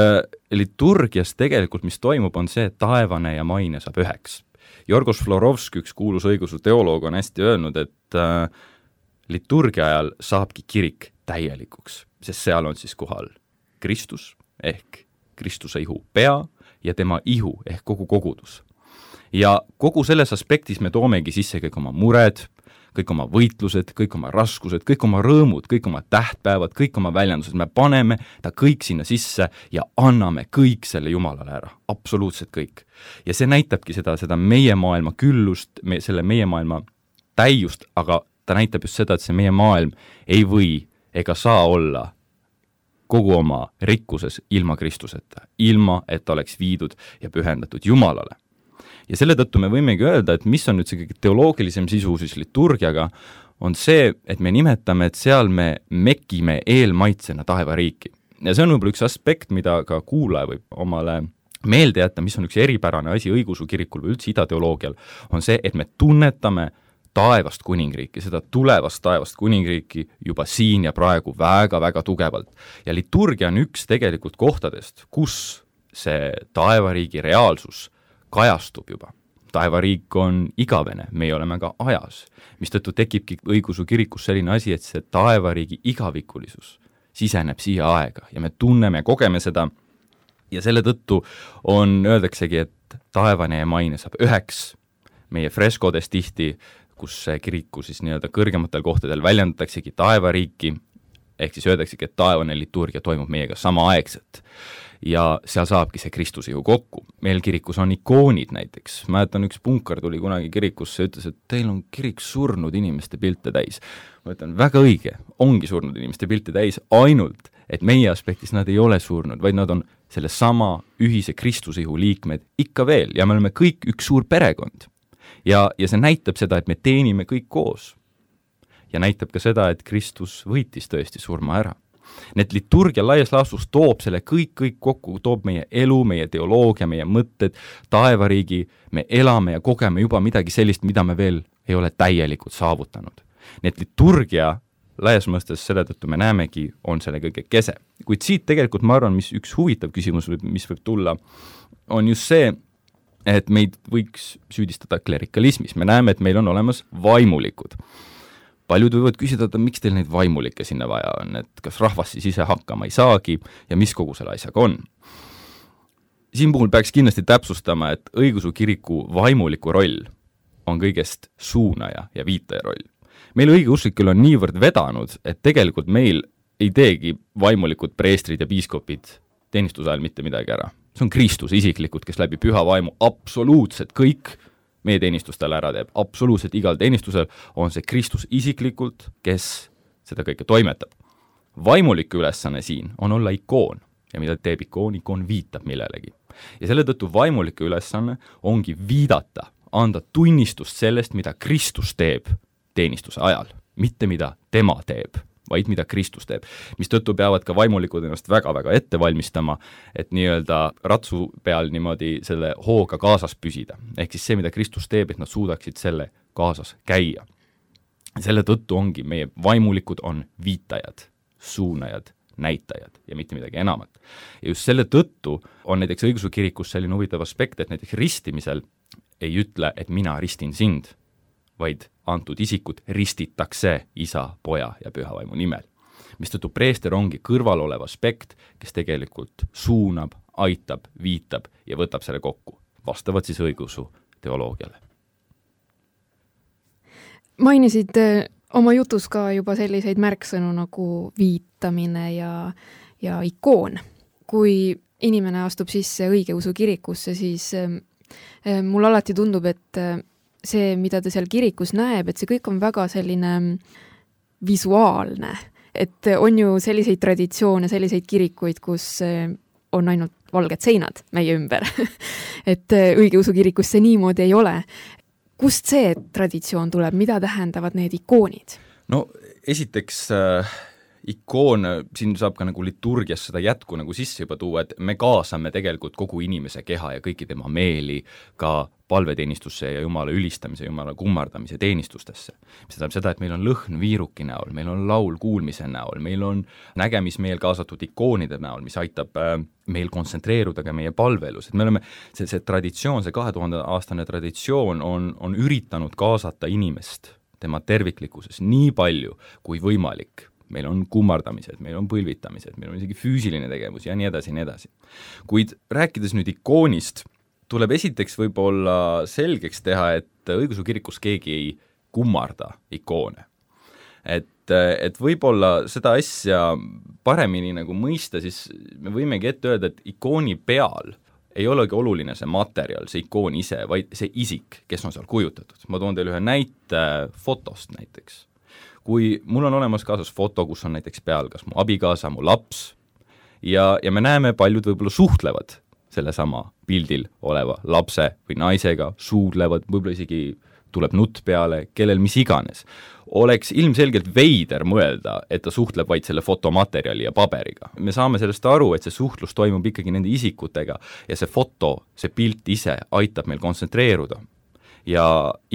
liturgias tegelikult, mis toimub, on see, et taevane ja maine saab üheks. Jorgos Florovski, üks kuulus õigeusu teoloog, on hästi öelnud, et liturgia ajal saabki kirik täielikuks, sest seal on siis kohal Kristus ehk Kristuse ihu pea ja tema ihu ehk kogu kogudus. Ja kogu selles aspektis me toomegi sisse kõik oma mured, kõik oma võitlused, kõik oma raskused, kõik oma rõõmud, kõik oma tähtpäevad, kõik oma väljendused, me paneme ta kõik sinna sisse ja anname kõik selle Jumalale ära, absoluutselt kõik. Ja see näitabki seda meie maailma küllust, selle meie maailma täiust, aga ta näitab just seda, et see meie maailm ei või ega saa olla kogu oma rikkuses ilma Kristuseta, ilma et ta oleks viidud ja pühendatud Jumalale. Ja selle tõttu me võimegi öelda, et mis on nüüd see kõige teoloogilisem sisu siis liturgiaga, on see, et me nimetame, et seal me mekime eelmaitsena taevariiki. Ja see on võib-olla üks aspekt, mida ka kuulaja võib omale meelde jätta, mis on üks eripärane asi õigeusu kirikul või üldse idateoloogial, on see, et me tunnetame taevast kuningriiki, seda tulevast taevast kuningriiki juba siin ja praegu väga-väga tugevalt. Ja liturgia on üks tegelikult kohtadest, kus see taevariigi reaalsus kajastub juba. Taevariik on igavene, meie oleme ka ajas, mistõttu tekibki õigeusu kirikus selline asi, et see taevariigi igavikulisus siseneb siia aega ja me tunneme ja kogeme seda ja selle tõttu öeldaksegi, et taevane ja maine saab üheks meie freskodes tihti, kus kiriku siis nii-öelda kõrgematel kohtadel väljendataksegi taevariiki, ehk siis öeldaksegi, et taevane liturgia toimub meiega samaaegselt. Ja seal saabki see Kristuse ju kokku. Meil kirikus on ikoonid näiteks. Mäletan, üks punkar tuli kunagi kirikusse ja ütles, et teil on kirik surnud inimeste pilte täis. Ma ütlen, väga õige, ongi surnud inimeste pilte täis, ainult, et meie aspektis nad ei ole surnud, vaid nad on selle sama ühise Kristuse ihu liikmed ikka veel ja me oleme kõik üks suur perekond. Ja see näitab seda, et me teenime kõik koos. Ja näitab ka seda, et Kristus võitis tõesti surma ära. Need liturgia laias laastus toob selle kõik kokku, toob meie elu, meie teoloogia, meie mõtted, taevariigi, me elame ja kogeme juba midagi sellist, mida me veel ei ole täielikult saavutanud. Need liturgia laias mõistes selle tõttu me näemegi, on selle kõige kese. Kuid siit tegelikult ma arvan, mis üks huvitav küsimus, mis võib tulla, on just see, et meid võiks süüdistada klerikalismis. Me näeme, et meil on olemas vaimulikud. Paljud võivad küsida, et miks teil neid vaimulikke sinna vaja on, et kas rahvas siis ise hakkama ei saagi ja mis kogu selle asjaga on. Siin puhul peaks kindlasti täpsustama, et õigeusu kiriku vaimuliku roll on kõigest suunaja ja viitaja roll. Meil õigeusklikel on niivõrd vedanud, et tegelikult meil ei teegi vaimulikud preestrid ja piiskopid teenistuse ajal mitte midagi ära. See on Kristus isiklikult, kes läbi püha vaimu absoluutselt kõik meie teenistustel ära teeb. Absoluutselt igal teenistusel on see Kristus isiklikult, kes seda kõike toimetab. Vaimuliku ülesanne siin on olla ikoon ja mida teeb ikoon? Ikoon viitab millelegi. Ja selle tõttu vaimuliku ülesanne ongi viidata, anda tunnistust sellest, mida Kristus teeb teenistuse ajal, mitte mida tema teeb, vaid mida Kristus teeb. Mis tõttu peavad ka vaimulikud ennast väga-väga ette valmistama, et nii-öelda ratsu peal niimoodi selle hooga kaasas püsida. Ehk siis see, mida Kristus teeb, et nad suudaksid selle kaasas käia. Selle tõttu ongi meie vaimulikud on viitajad, suunajad, näitajad ja mitte midagi enamat. Ja just selle tõttu on näiteks õigeusu kirikus selline huvitav aspekt, et näiteks ristimisel ei ütle, et mina ristin sind, vaid antud isikut ristitakse isa, poja ja püha vaimu nimel. Mistõttu preester ongi kõrval olev aspekt, kes tegelikult suunab, aitab, viitab ja võtab selle kokku, vastavalt siis õigeusu teoloogiale. Mainisid oma jutus ka juba selliseid märksõnu nagu viitamine ja ikoon. Kui inimene astub sisse õigeusu kirikusse, siis mul alati tundub, et see, mida ta seal kirikus näeb, et see kõik on väga selline visuaalne. Et on ju selliseid traditsioone, selliseid kirikuid, kus on ainult valged seinad meie ümber. Et õigeusu kirikus see niimoodi ei ole. Kust see traditsioon tuleb? Mida tähendavad need ikoonid? No esiteks ikoon, siin saab ka nagu liturgias seda jätku nagu sisse juba tuua, et me kaasame tegelikult kogu inimese keha ja kõiki tema meeli ka palveteenistusse ja Jumala ülistamise, Jumala kummardamise teenistustesse. See tähendab seda, et meil on lõhn viiruki näol, meil on laul kuulmise näol, meil on nägemismeel kaasatud ikoonide näol, mis aitab meil kontsentreeruda ka meie palveelus. Et me oleme, see traditsioon, see 2000-aastane traditsioon on üritanud kaasata inimest tema terviklikkuses nii palju kui võimalik. Meil on kummardamised, meil on põlvitamised, meil on isegi füüsiline tegevus ja nii edasi, nii edasi. Kuid rääkides nüüd ikoonist, tuleb esiteks võib-olla selgeks teha, et õigeusu kirikus keegi ei kummarda ikoone. Et võib-olla seda asja paremini nagu mõista, siis me võimegi ette öelda, et ikooni peal ei olegi oluline see materjal, see ikoon ise, vaid see isik, kes on seal kujutatud. Ma toon teile ühe näite fotost näiteks. Kui mul on olemas kaasas foto, kus on näiteks peal kas mu abikaasa, mu laps ja me näeme, paljud võib-olla suhtlevad sellesama pildil oleva lapse või naisega, suudlevad, võib-olla isegi tuleb nutt peale, kellel mis iganes. Oleks ilmselgelt veider mõelda, et ta suhtleb vaid selle fotomaterjali ja paberiga. Me saame sellest aru, et see suhtlus toimub ikkagi nende isikutega ja see foto, see pilt ise aitab meil kontsentreeruda. Ja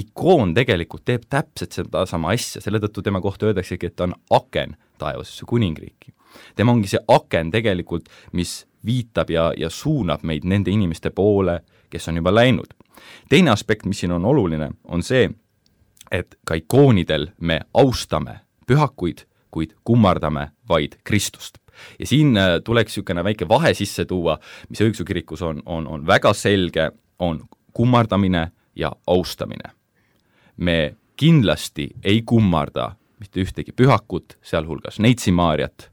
ikoon tegelikult teeb täpselt seda sama asja, selle tõttu tema kohta öeldaksegi, et ta on aken taevasesse kuningriiki. Tema ongi see aken tegelikult, mis viitab ja suunab meid nende inimeste poole, kes on juba läinud. Teine aspekt, mis siin on oluline, on see, et ka ikoonidel me austame pühakuid, kuid kummardame vaid Kristust. Ja siin tuleks niisugune väike vahe sisse tuua, mis õigeusu kirikus on väga selge, on kummardamine ja austamine. Me kindlasti ei kummarda mitte ühtegi pühakut, sealhulgas Neitsi Maarjat.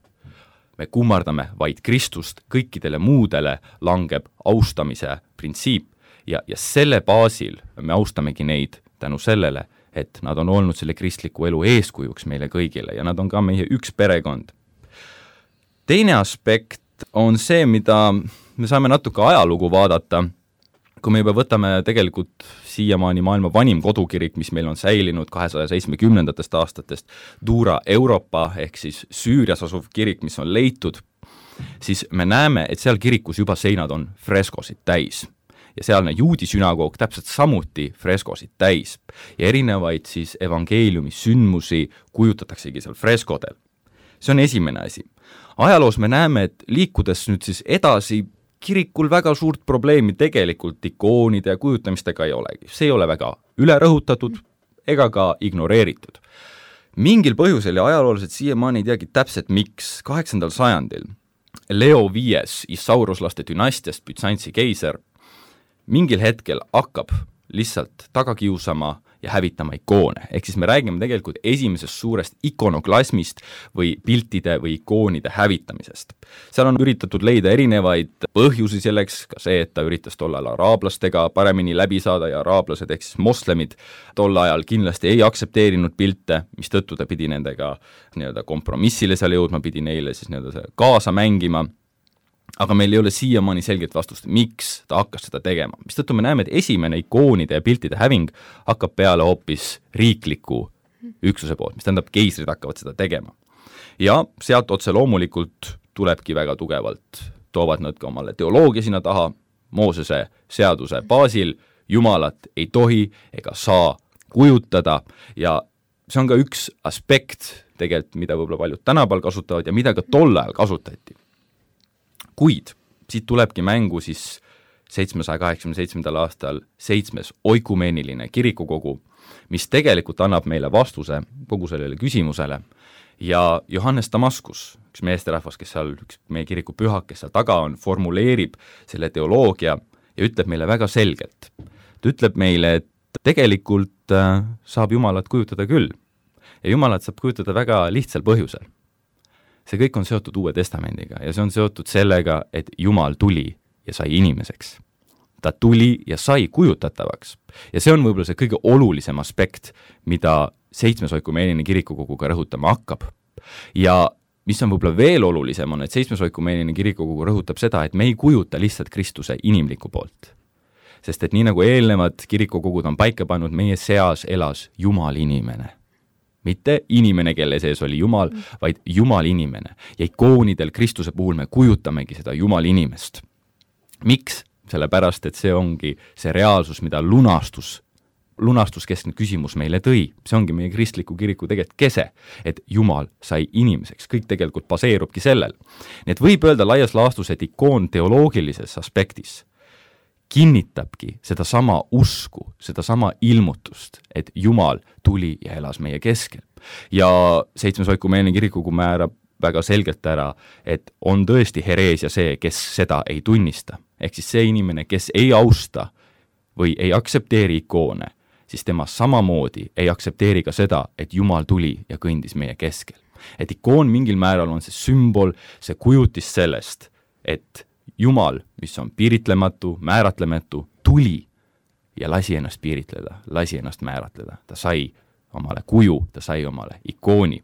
Me kummardame vaid Kristust, kõikidele muudele langeb austamise printsiip ja selle baasil me austamegi neid tänu sellele, et nad on olnud selle kristliku elu eeskujuks meile kõigile ja nad on ka meie üks perekond. Teine aspekt on see, mida me saame natuke ajalugu vaadata, kui me juba võtame tegelikult siiamaani maailma vanim kodukirik, mis meil on säilinud 270. aastatest, Dura Europa ehk siis Süürias asuv kirik, mis on leitud, siis me näeme, et seal kirikus juba seinad on freskosid täis. Ja sealne juudi sünagoog täpselt samuti freskosid täis. Ja erinevaid siis evangeeliumi sündmusi kujutataksegi seal freskodel. See on esimene asi. Ajaloos me näeme, et liikudes nüüd siis edasi, kirikul väga suurt probleemi tegelikult ikoonide ja kujutamistega ei olegi. See ei ole väga ülerõhutatud ega ka ignoreeritud. Mingil põhjusel ja ajaloolased siiamaani ei teagi täpselt miks 8. sajandil Leo V Isauruslaste dünastiast Bütsantsi keiser mingil hetkel hakkab lihtsalt taga kiusama ja hävitama ikoone. Ehk siis me räägime tegelikult esimesest suurest ikonoklasmist või piltide või ikoonide hävitamisest. Seal on üritatud leida erinevaid põhjusi selleks, ka see, et ta üritas tol ajal araablastega paremini läbi saada ja araablased ehk siis moslemid tol ajal kindlasti ei aktsepteerinud pilte, mis tõttu ta pidi nendega nii-öelda kompromissile seal jõudma, pidi neile siis nii-öelda kaasa mängima. Aga meil ei ole siiamaani selget vastust, miks ta hakkas seda tegema. Mistõttu me näeme, et esimene ikoonide ja piltide häving hakkab peale hoopis riikliku üksuse poolt, mis tähendab, keisrid hakkavad seda tegema. Ja sealt otse loomulikult tulebki väga tugevalt, toovad nad ka omale teoloogia sinna taha, Moosese seaduse baasil, jumalat ei tohi ega saa kujutada ja see on ka üks aspekt tegelikult, mida võib-olla paljud tänapäeval kasutavad ja mida ka tol ajal kasutati. Kuid siit tulebki mängu siis 787. aastal 7. oikumeeniline kirikukogu, mis tegelikult annab meile vastuse kogu sellele küsimusele ja Johannes Damaskus, üks meesterahvas, kes seal, üks meie kiriku pühak, kes seal taga on, formuleerib selle teoloogia ja ütleb meile väga selgelt. Ta ütleb meile, et tegelikult saab Jumalat kujutada küll ja Jumalat saab kujutada väga lihtsal põhjusel. See kõik on seotud Uue Testamendiga ja see on seotud sellega, et Jumal tuli ja sai inimeseks. Ta tuli ja sai kujutatavaks. Ja see on võib-olla see kõige olulisem aspekt, mida 7. oikumeeniline kirikukoguga rõhutama hakkab. Ja mis on võib-olla veel olulisem on, et 7. oikumeeniline kirikukogu rõhutab seda, et me ei kujuta lihtsalt Kristuse inimliku poolt. Sest et nii nagu eelnevad kirikukogud on paika pannud, meie seas elas Jumal inimene. Mitte inimene, kelle sees oli Jumal, vaid Jumal inimene. Ja ikoonidel Kristuse puhul me kujutamegi seda Jumal inimest. Miks? Sellepärast, et see ongi see reaalsus, mida lunastuskeskne küsimus meile tõi. See ongi meie kristliku kiriku tegelikult kese, et Jumal sai inimeseks. Kõik tegelikult baseerubki sellel. Nii et võib öelda laias laastus, et ikoon teoloogilises aspektis kinnitabki seda sama usku, seda sama ilmutust, et Jumal tuli ja elas meie keskel. Ja 7. oikumeeniline kirikukogu määrab väga selgelt ära, et on tõesti hereesia see, kes seda ei tunnista. Ehk siis see inimene, kes ei austa või ei aktsepteeri ikoone, siis tema samamoodi ei aktsepteeri ka seda, et Jumal tuli ja kõndis meie keskel. Et ikoon mingil määral on see sümbol, see kujutis sellest, et Jumal, mis on piiritlematu, määratlematu, tuli ja lasi ennast piiritleda, lasi ennast määratleda. Ta sai omale kuju, ta sai omale ikooni.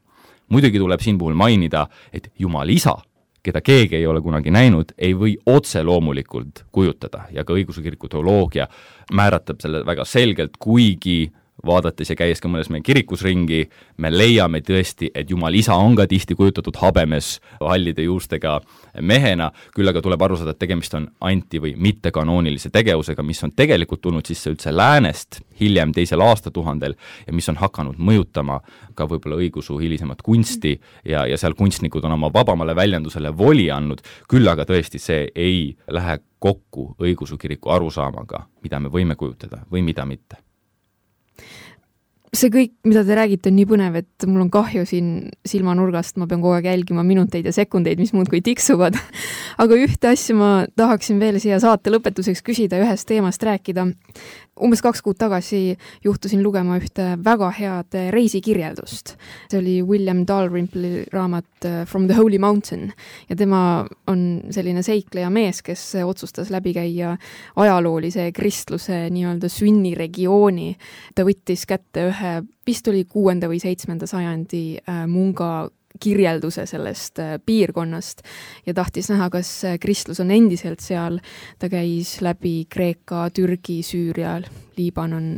Muidugi tuleb siin puhul mainida, et Jumal isa, keda keegi ei ole kunagi näinud, ei või otse loomulikult kujutada ja ka õigeusu kiriku teoloogia määratab selle väga selgelt, kuigi vaadates ja käies ka mõnes meie kirikus ringi, me leiame tõesti, et Jumal isa on ka tihti kujutatud habemes hallide juustega mehena, küll aga tuleb aru saada, et tegemist on anti- või mittekanoonilise tegevusega, mis on tegelikult tulnud sisse üldse läänest hiljem 2. aastatuhandel ja mis on hakanud mõjutama ka võib-olla õigusu hilisemat kunsti ja seal kunstnikud on oma vabamale väljendusele voli andnud, küll aga tõesti see ei lähe kokku õigeusu kiriku arusaamaga, mida me võime kujutada või mida mitte. See kõik, mida te räägite, on nii põnev, et mul on kahju siin silmanurgast, ma pean kogu aeg jälgima minuteid ja sekundeid, mis muudkui tiksuvad. Aga ühte asja ma tahaksin veel siia saate lõpetuseks küsida, ühest teemast rääkida. Umbes 2 kuud tagasi juhtusin lugema ühte väga head reisikirjeldust. See oli William Dalrymple'i raamat From the Holy Mountain ja tema on selline seikleja mees, kes otsustas läbi käia ajaloolise kristluse nii-öelda sünniregiooni. Ta võttis kätte ühe, vist oli 6. või 7. sajandi munga kirjelduse sellest piirkonnast ja tahtis näha, kas kristlus on endiselt seal. Ta käis läbi Kreeka, Türgi, Süüria, Liibanon,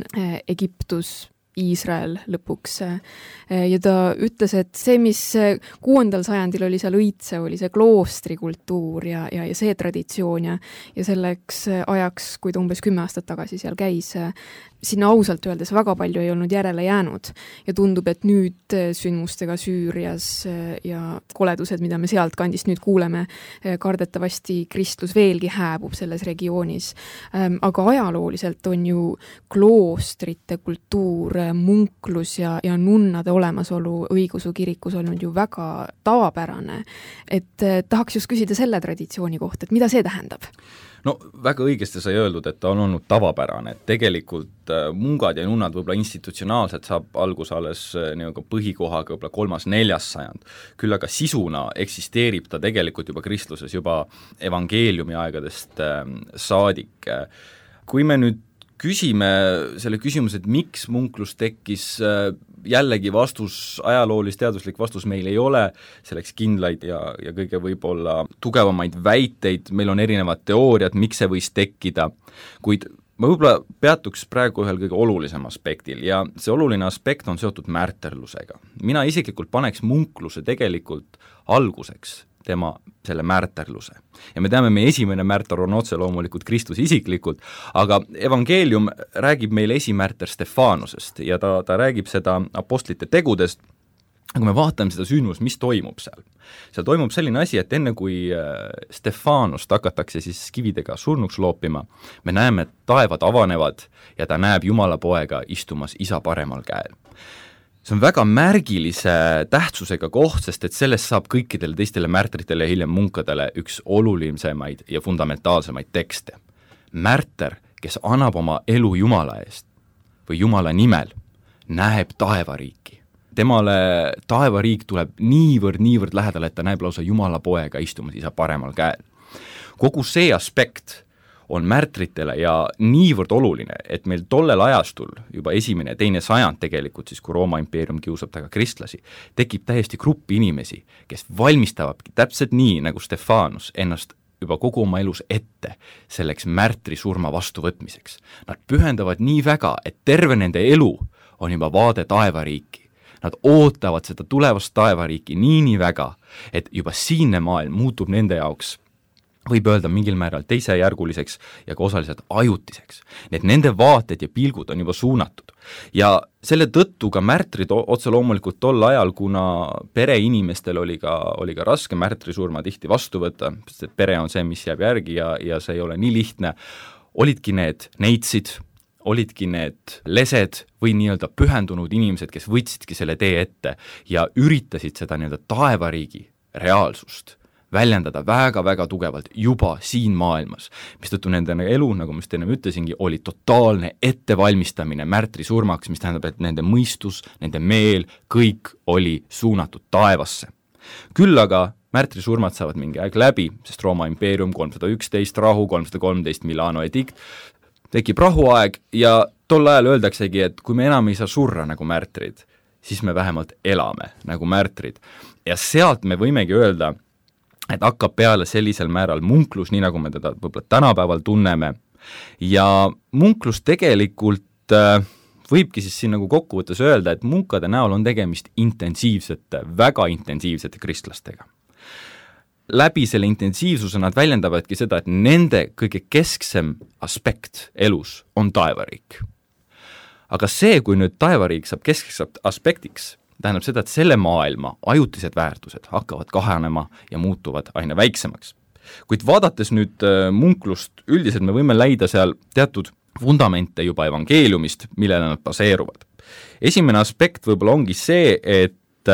Egiptus, Iisrael lõpuks. Ja ta ütles, et see, mis 6. sajandil oli seal õitse, oli see kloostrikultuur ja see traditsioon ja selleks ajaks, kui ta umbes 10 aastat tagasi seal käis, sinna ausalt öeldes väga palju ei olnud järele jäänud ja tundub, et nüüd sündmustega Süürias ja koledused, mida me sealt kandist nüüd kuuleme, kardetavasti kristlus veelgi hääbub selles regioonis. Aga ajalooliselt on ju kloostrite kultuur, munklus ja nunnade olemasolu õigeusu kirikus olnud ju väga tavapärane. Et tahaks just küsida selle traditsiooni kohta, et mida see tähendab? No väga õigesti sai öeldud, et ta on olnud tavapärane, et tegelikult mungad ja nunnad võib-olla institutsionaalselt saab algus alles põhikohaga võib-olla 3.–4. sajand. Küll aga sisuna eksisteerib ta tegelikult juba kristluses juba evangeeliumi aegadest saadik. Kui me nüüd küsime selle küsimuse, et miks munklus tekkis, jällegi vastus, ajaloolis-teaduslik vastus meil ei ole, selleks kindlaid ja kõige võib-olla tugevamaid väiteid, meil on erinevad teooriad, miks see võis tekkida, kuid ma võib-olla peatuks praegu ühel kõige olulisem aspektil ja see oluline aspekt on seotud märterlusega. Mina isiklikult paneks munkluse tegelikult alguseks tema selle märterluse. Ja me teame, meie esimene märter on otse loomulikult Kristus isiklikult, aga evangeelium räägib meile esimärter Stefanusest ja ta räägib seda apostlite tegudest. Kui me vaatame seda sündmust, mis toimub seal? Seal toimub selline asi, et enne kui Stefanust hakatakse siis kividega surnuks loopima, me näeme, et taevad avanevad ja ta näeb Jumala poega istumas isa paremal käel. See on väga märgilise tähtsusega koht, sest et sellest saab kõikidele teistele märtritele ja hiljem munkadele üks olulisemaid ja fundamentaalsemaid tekste. Märter, kes annab oma elu Jumala eest või Jumala nimel, näeb taevariiki. Temale taevariik tuleb niivõrd lähedale, et ta näeb lausa Jumala poega istumas isa paremal käel. Kogu see aspekt on märtritele ja niivõrd oluline, et meil tollel ajastul, juba 1. ja 2. sajand tegelikult, siis kui Rooma impeerium kiusab taga kristlasi, tekib täiesti gruppi inimesi, kes valmistavadki täpselt nii, nagu Stefanus ennast juba kogu oma elus ette selleks märtri surma vastuvõtmiseks. Nad pühendavad nii väga, et terve nende elu on juba vaade taevariiki. Nad ootavad seda tulevast taevariiki nii väga, et juba siinne maailm muutub nende jaoks võib öelda mingil määral teisejärguliseks ja ka osaliselt ajutiseks. Need nende vaated ja pilgud on juba suunatud. Ja selle tõttu ka märtrid otse loomulikult tol ajal, kuna pereinimestel oli ka raske märtrisurma tihti vastu võtta, sest et pere on see, mis jääb järgi ja see ei ole nii lihtne, olidki need neitsid, olidki need lesed või nii-öelda pühendunud inimesed, kes võtsidki selle tee ette ja üritasid seda nii-öelda taevariigi reaalsust väljendada väga-väga tugevalt juba siin maailmas, mistõttu nende elu, nagu ma just enne ütlesingi, oli totaalne ettevalmistamine märtri surmaks, mis tähendab, et nende mõistus, nende meel, kõik oli suunatud taevasse. Küll aga märtri surmad saavad mingi aeg läbi, sest Rooma impeerium 311 rahu, 313 Milano edikt, tekib rahuaeg ja tol ajal öeldaksegi, et kui me enam ei saa surra nagu märtrid, siis me vähemalt elame nagu märtrid. Ja sealt me võimegi öelda, et hakkab peale sellisel määral munklus, nii nagu me teda võib-olla tänapäeval tunneme. Ja munklus tegelikult võibki siis siin nagu kokkuvõttes öelda, et munkade näol on tegemist väga intensiivsete kristlastega. Läbi selle intensiivsuse nad väljendavadki seda, et nende kõige kesksem aspekt elus on taevariik. Aga see, kui nüüd taevariik saab keskseks aspektiks, tähendab seda, et selle maailma ajutised väärtused hakkavad kahanema ja muutuvad aina väiksemaks. Kuid vaadates nüüd munklust, üldiselt me võime leida seal teatud fundamente juba evangeeliumist, millele nad baseeruvad. Esimene aspekt võib-olla ongi see, et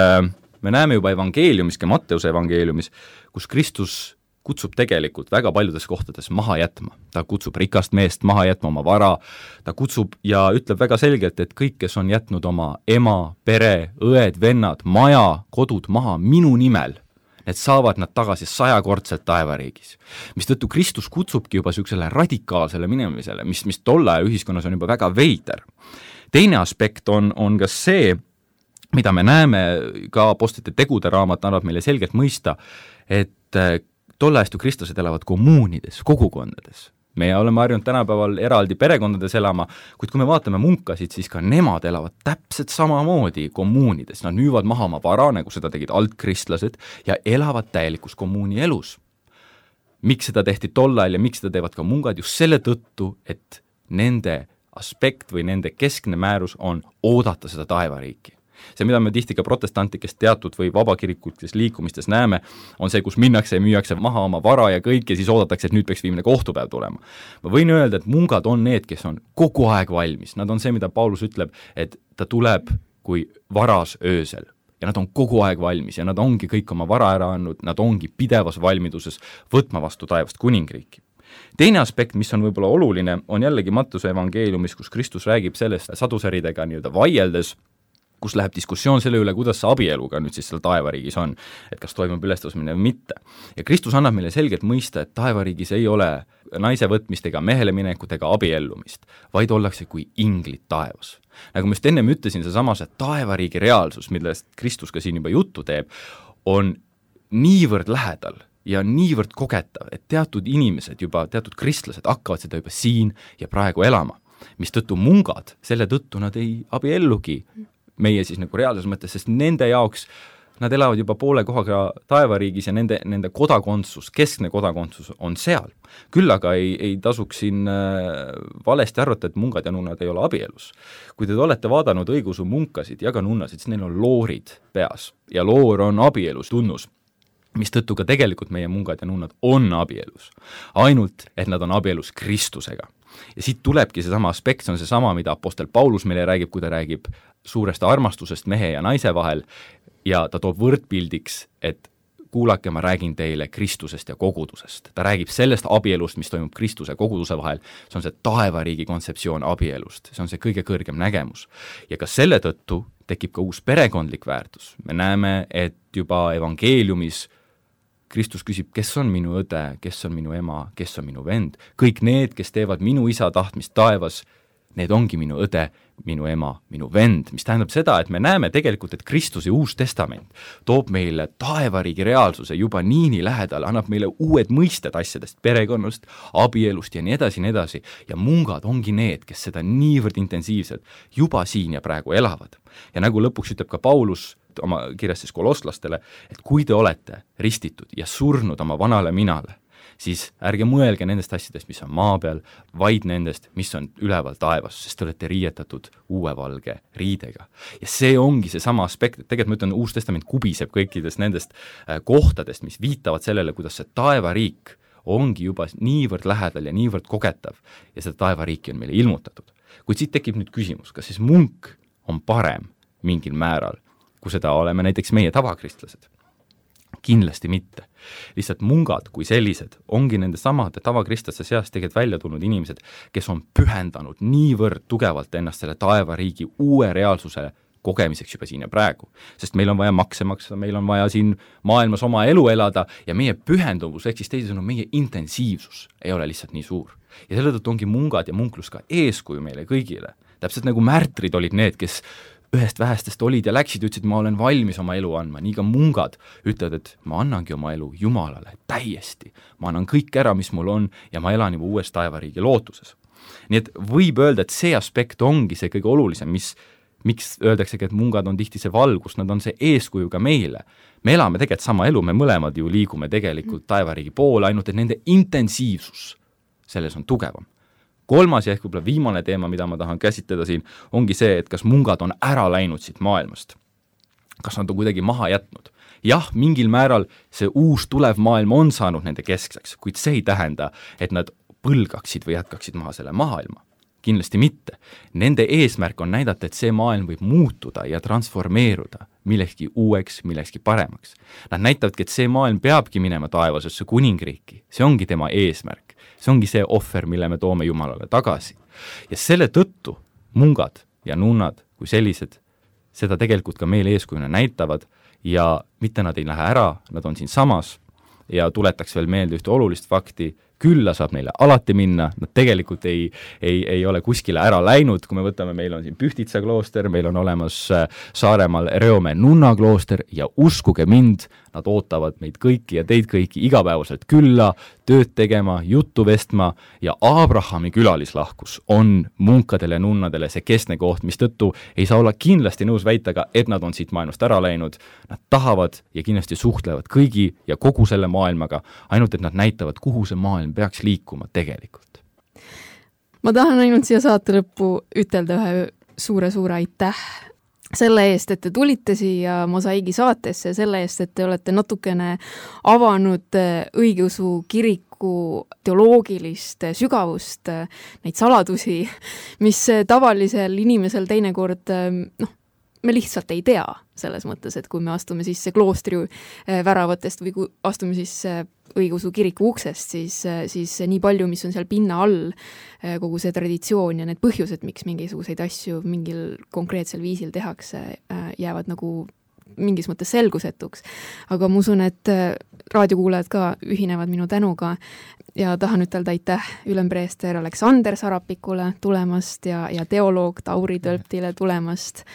me näeme juba evangeeliumis, ka Matteuse evangeeliumis, kus Kristus kutsub tegelikult väga paljudes kohtades maha jätma. Ta kutsub rikast meest maha jätma oma vara, ta kutsub ja ütleb väga selgelt, et kõik, kes on jätnud oma ema, pere, õed, vennad, maja, kodud maha minu nimel, need saavad nad tagasi 100-kordselt taevariigis. Mistõttu Kristus kutsubki juba sellisele radikaalsele minemisele, mis tolle aja ühiskonnas on juba väga veider. Teine aspekt on ka see, mida me näeme, ka apostlite tegude raamat annab meile selgelt mõista, et tolle ajastu kristlased elavad kommuunides, kogukondades. Me oleme harjunud tänapäeval eraldi perekondades elama, kuid kui me vaatame munkasid, siis ka nemad elavad täpselt samamoodi kommuunides. Nad müüvad maha oma vara, nagu seda tegid altkristlased, ja elavad täielikus kommuuni elus. Miks seda tehti tol ajal ja miks seda teevad ka mungad? Just selle tõttu, et nende aspekt või nende keskne määrus on oodata seda taevariiki. See, mida me tihti ka protestantlikest teatud või vabakirikutes liikumistes näeme, on see, kus minnakse ja müüakse maha oma vara ja kõik ja siis oodatakse, et nüüd peaks viimne kohtupäev tulema. Ma võin öelda, et mungad on need, kes on kogu aeg valmis. Nad on see, mida Paulus ütleb, et ta tuleb kui varas öösel. Ja nad on kogu aeg valmis ja nad ongi kõik oma vara ära andnud, nad ongi pidevas valmiduses võtma vastu taevast kuningriiki. Teine aspekt, mis on võib-olla oluline, on jällegi Mattuse evangeeliumis, kus Kristus räägib sellest sadusäridega nii-öelda vaieldes, kus läheb diskussioon selle üle, kuidas see abieluga nüüd siis seal taevariigis on, et kas toimub ülestõusmine või mitte. Ja Kristus annab meile selgelt mõista, et taevariigis ei ole naise võtmist ega mehele minekut ega abiellumist, vaid ollakse kui inglid taevas. Nagu ma just ennem ütlesin, seesama see taevariigi reaalsus, millest Kristus ka siin juba juttu teeb, on niivõrd lähedal ja niivõrd kogetav, et teatud inimesed juba, teatud kristlased hakkavad seda juba siin ja praegu elama, mis tõttu mungad, selle tõttu nad ei abiellugi meie siis nagu reaalses mõttes, sest nende jaoks nad elavad juba poole kohaga taevariigis ja nende kodakondsus, keskne kodakondsus on seal. Küll aga ei tasuks siin valesti arvata, et mungad ja nunnad ei ole abielus. Kui te olete vaadanud õigeusu munkasid ja ka nunnasid, siis neil on loorid peas ja loor on abielus tunnus, mis tõttu ka tegelikult meie mungad ja nunnad on abielus. Ainult, et nad on abielus Kristusega. Ja siit tulebki seesama aspekt, see on seesama, mida apostel Paulus meile räägib, kui ta räägib suurest armastusest mehe ja naise vahel ja ta toob võrdpildiks, et kuulake, ma räägin teile Kristusest ja kogudusest. Ta räägib sellest abielust, mis toimub Kristuse ja koguduse vahel, see on see taevariigi kontseptsioon abielust, see on see kõige kõrgem nägemus. Ja ka selle tõttu tekib ka uus perekondlik väärtus. Me näeme, et juba evangeeliumis Kristus küsib, kes on minu õde, kes on minu ema, kes on minu vend. Kõik need, kes teevad minu isa tahtmist taevas, need ongi minu õde, minu ema, minu vend, mis tähendab seda, et me näeme tegelikult, et Kristuse uus testament toob meile taevariigi reaalsuse juba nii lähedal, annab meile uued mõisted asjadest, perekonnast, abielust ja nii edasi, ja mungad ongi need, kes seda niivõrd intensiivselt juba siin ja praegu elavad. Ja nagu lõpuks ütleb ka Paulus oma kirjas siis kolosslastele, et kui te olete ristitud ja surnud oma vanale minale, siis ärge mõelge nendest asjadest, mis on maa peal, vaid nendest, mis on üleval taevas, sest te olete riietatud uue valge riidega. Ja see ongi see sama aspekt, et tegelikult ma ütlen, Uus Testament kubiseb kõikidest nendest kohtadest, mis viitavad sellele, kuidas see taevariik ongi juba niivõrd lähedal ja niivõrd kogetav ja seda taevariiki on meile ilmutatud. Kuid siit tekib nüüd küsimus, kas siis munk on parem mingil määral, kui seda oleme näiteks meie tavakristlased? Kindlasti mitte. Lihtsalt mungad kui sellised ongi nende samade tavakristlaste seast tegelikult välja tulnud inimesed, kes on pühendanud niivõrd tugevalt ennast selle taevariigi uue reaalsuse kogemiseks juba siin ja praegu. Sest meil on vaja makse maksta, meil on vaja siin maailmas oma elu elada ja meie pühenduvus, ehk siis teisisõnu meie intensiivsus ei ole lihtsalt nii suur. Ja selle tõttu ongi mungad ja munklus ka eeskuju meile kõigile. Täpselt nagu märtrid olid need, kes ühest vähestest olid ja läksid, ütlesid, ma olen valmis oma elu andma, nii ka mungad ütlevad, et ma annangi oma elu Jumalale täiesti. Ma annan kõik ära, mis mul on ja ma elan juba uues taevariigi lootuses. Nii et võib öelda, et see aspekt ongi see kõige olulisem, miks öeldaksegi, et mungad on tihti see valgus, nad on see eeskuju ka meile. Me elame tegelikult sama elu, me mõlemad ju liigume tegelikult taevariigi poole, ainult et nende intensiivsus selles on tugevam. Kolmas ja ehk võib-olla viimane teema, mida ma tahan käsitleda siin, ongi see, et kas mungad on ära läinud siit maailmast. Kas nad on kuidagi maha jätnud? Jah, mingil määral see uus tulev maailm on saanud nende keskseks, kuid see ei tähenda, et nad põlgaksid või jätkaksid maha selle maailma. Kindlasti mitte. Nende eesmärk on näidata, et see maailm võib muutuda ja transformeeruda millekski uueks, millekski paremaks. Nad näitavadki, et see maailm peabki minema taevasesse kuningriiki. See ongi tema eesmärk. See ongi see ohver, mille me toome Jumalale tagasi. Ja selle tõttu mungad ja nunnad kui sellised seda tegelikult ka meile eeskujuna näitavad ja mitte nad ei lähe ära, nad on siin samas ja tuletaks veel meelde ühte olulist fakti, külla saab neile alati minna, nad tegelikult ei ole kuskile ära läinud, kui me võtame, meil on siin Pühtitsa klooster, meil on olemas Saaremaal Reomäe nunnaklooster ja uskuge mind, nad ootavad meid kõiki ja teid kõiki igapäevaselt külla, tööd tegema, juttu vestma ja Abrahami külalislahkus on munkadele ja nunnadele see keskne koht, mis tõttu ei saa olla kindlasti nõus väitaga, et nad on siit maailmast ära läinud. Nad tahavad ja kindlasti suhtlevad kõigi ja kogu selle maailmaga, ainult et nad näitavad, kuhu see maailm peaks liikuma tegelikult. ma tahan ainult siia saate lõppu ütelda ühe suure-suure aitäh selle eest, et te tulite siia Mosaiigi saatesse, selle eest, et te olete natukene avanud õigeusu kiriku teoloogilist sügavust, neid saladusi, mis tavalisel inimesel teinekord, me lihtsalt ei tea selles mõttes, et kui me astume sisse kloostri väravatest või kui astume sisse õigeusu kiriku uksest, siis nii palju, mis on seal pinna all, kogu see traditsioon ja need põhjused, miks mingisuguseid asju mingil konkreetsel viisil tehakse, jäävad nagu mingis mõttes selgusetuks. Aga ma usun, et raadiokuulajad ka ühinevad minu tänuga ja tahan ütelda aitäh ülempreester Aleksander Sarapikule tulemast ja teoloog Tauri Tölptile tulemast.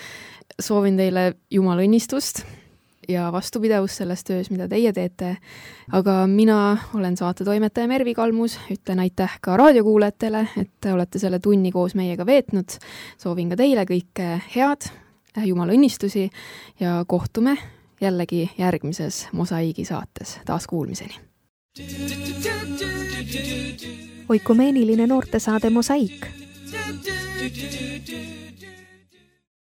Soovin teile Jumala õnnistust ja vastupidavust selles töös, mida teie teete. Aga mina olen saatetoimetaja Mervi Kalmus, ütlen aitäh ka raadiokuulajatele, et te olete selle tunni koos meiega veetnud. Soovin ka teile kõike head, Jumala õnnistusi ja kohtume jällegi järgmises Mosaiigi saates. Taas kuulmiseni. Oikumeeniline noortesaade Mosaik.